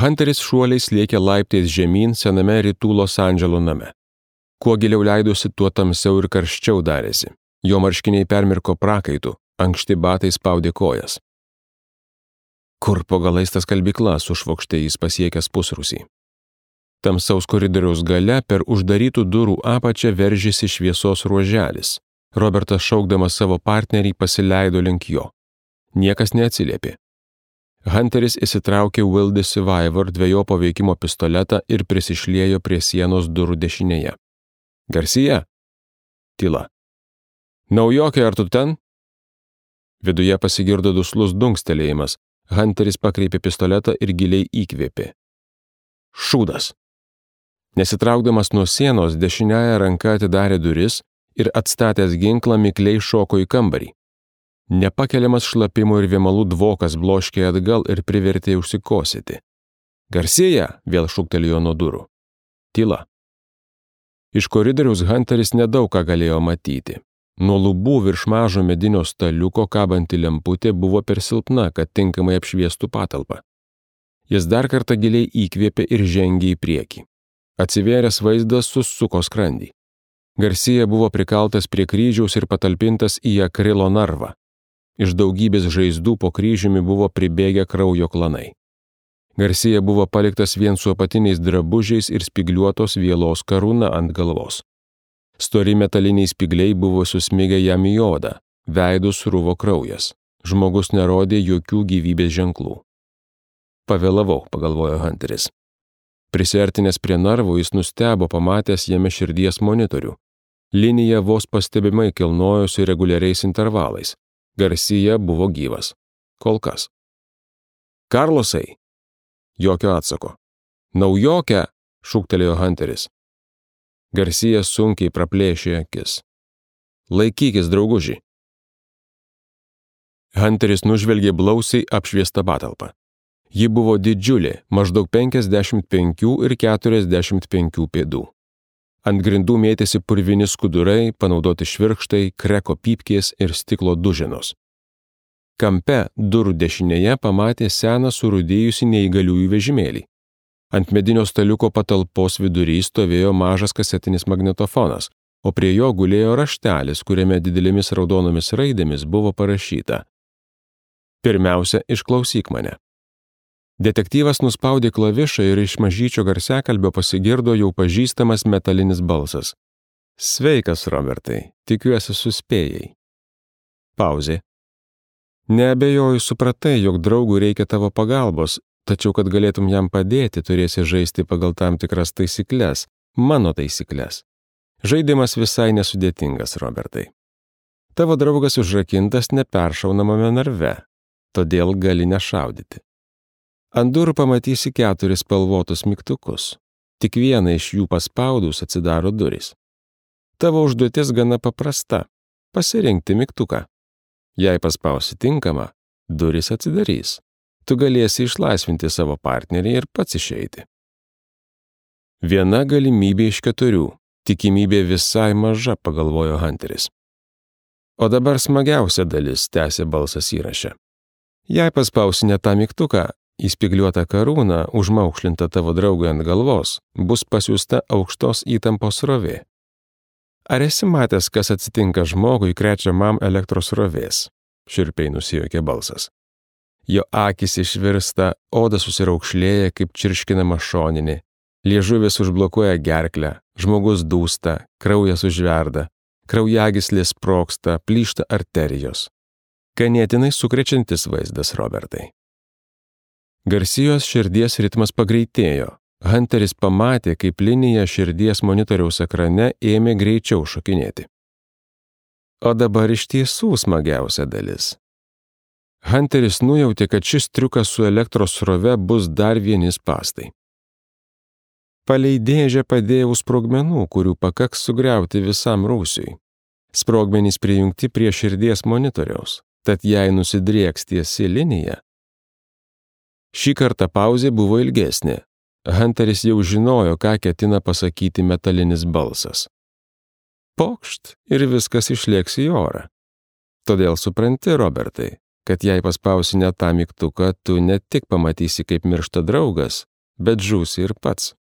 Hunteris šuoliais lėkė laiptais žemyn sename rytų Los Andželo name. Kuo giliau leidosi, tuo tamsiau ir karščiau darėsi. Jo marškiniai permirko prakaitu, ankšti batai spaudė kojas. Kur po galais ta skalbykla, sušvokštė jis pasiekęs pusrūsį. Tamsaus koridoriaus gale per uždarytų durų apačią veržėsi šviesos ruoželis. Robertas šaukdamas savo partnerį pasileido link jo. Niekas neatsiliepė. Hunteris įsitraukė Wildy Survivor dvejopo veikimo pistoletą ir prisišliejo prie sienos durų dešinėje. Garcia? Tyla. Naujokė, ar tu ten? Viduje pasigirdo duslus dunkstelėjimas. Hunteris pakreipė pistoletą ir giliai įkvėpė. Šūdas. Nesitraukdamas nuo sienos, dešiniąja ranka atidarė duris ir atstatęs ginklą mikliai šoko į kambarį. Nepakeliamas šlapimo ir vėmalų dvokas bloškė atgal ir privertė užsikosėti. Garcia, vėl šūktelėjo nuo durų. Tyla. Iš koridoriaus Hunteris nedaug ką galėjo matyti. Nuo lubų virš mažo medinio staliuko kabanti lemputė buvo per silpna, kad tinkamai apšviestų patalpą. Jis dar kartą giliai įkvėpė ir žengė į priekį. Atsivėręs vaizdas susuko skrandį. Garcia buvo prikaltas prie kryžiaus ir patalpintas į akrilo narvą. Iš daugybės žaizdų po kryžiumi buvo pribėgę kraujo klanai. Garcia buvo paliktas vien su apatiniais drabužiais ir spigliuotos vielos karūna ant galvos. Stori metaliniai spigliai buvo susmigę jam į odą, veidu sruvo kraujas. Žmogus nerodė jokių gyvybės ženklų. Pavėlavau, pagalvojo Hunteris. Prisiartinęs prie narvo, jis nustebo pamatęs jame širdies monitorių. Linija vos pastebimai kilnojosi reguliariais intervalais. Garcia buvo gyvas. Kol kas. Karlosai. Jokio atsako. Naujokę, šūktelėjo Hunteris. Garcia sunkiai praplėšė akis. Laikykis, drauguži. Hunteris nužvelgė blausiai apšviestą patalpą. Ji buvo didžiulė, maždaug 55 ir 45 pėdų. Ant grindų mėtėsi purvini skudurai, panaudoti švirkštai, kreko pypkės ir stiklo duženos. Kampe durų dešinėje pamatė seną surūdėjusį neįgaliųjų vežimėlį. Ant medinio staliuko patalpos vidury stovėjo mažas kasetinis magnetofonas, o prie jo gulėjo raštelis, kuriame didelėmis raudonomis raidėmis buvo parašyta: Pirmiausia, išklausyk mane. Detektyvas nuspaudė klavišą ir iš mažyčio garsiakalbio pasigirdo jau pažįstamas metalinis balsas. Sveikas, Robertai, tikiuosi suspėjai. Pauzė. Neabejoju, supratai, jog draugui reikia tavo pagalbos, tačiau kad galėtum jam padėti, turėsi žaisti pagal tam tikras taisykles, mano taisykles. Žaidimas visai nesudėtingas, Robertai. Tavo draugas užrakintas neperšaunamame narve, todėl gali nešaudyti. Ant durų pamatysi 4 spalvotus mygtukus. Tik vieną iš jų paspaudus atsidaro durys. Tavo užduotis gana paprasta – pasirinkti mygtuką. Jei paspausi tinkamą, durys atsidarys. Tu galėsi išlaisvinti savo partnerį ir pats išeiti. Viena galimybė iš 4, tikimybė visai maža, pagalvojo Hunteris. O dabar smagiausia dalis, tęsė balsas įraše. Jei paspausi ne tą mygtuką, įspigliuota karūna, užmaukšlinta tavo draugui ant galvos, bus pasiųsta aukštos įtampos srovė. Ar esi matęs, kas atsitinka žmogui krečiamam elektros srovės? Šiurpiai nusijuokė balsas. Jo akys išvirsta, oda susiraukšlėja kaip čirškinama šoninė, liežuvis užblokuoja gerklę, žmogus dūsta, kraujas užverda, kraujagyslės sprogsta, plyšta arterijos. Ganėtinai sukrečiantis vaizdas, Robertai. Garcijos širdies ritmas pagreitėjo. Hunteris pamatė, kaip linija širdies monitoriaus ekrane ėmė greičiau šokinėti. O dabar iš tiesų smagiausia dalis. Hunteris nujautė, kad šis triukas su elektros srove bus dar vieni spąstai. Palei dėžę padėjau sprogmenų, kurių pakaks sugriauti visam rūsiui. Sprogmenys prijungti prie širdies monitoriaus, tad jei nusidrieks tiesi linija. Šį kartą pauzė buvo ilgesnė. Hunteris jau žinojo, ką ketina pasakyti metalinis balsas. Pokšt ir viskas išlėks į orą. Todėl supranti, Robertai, kad jei paspausi ne tą mygtuką, tu ne tik pamatysi, kaip miršta draugas, bet žūsi ir pats.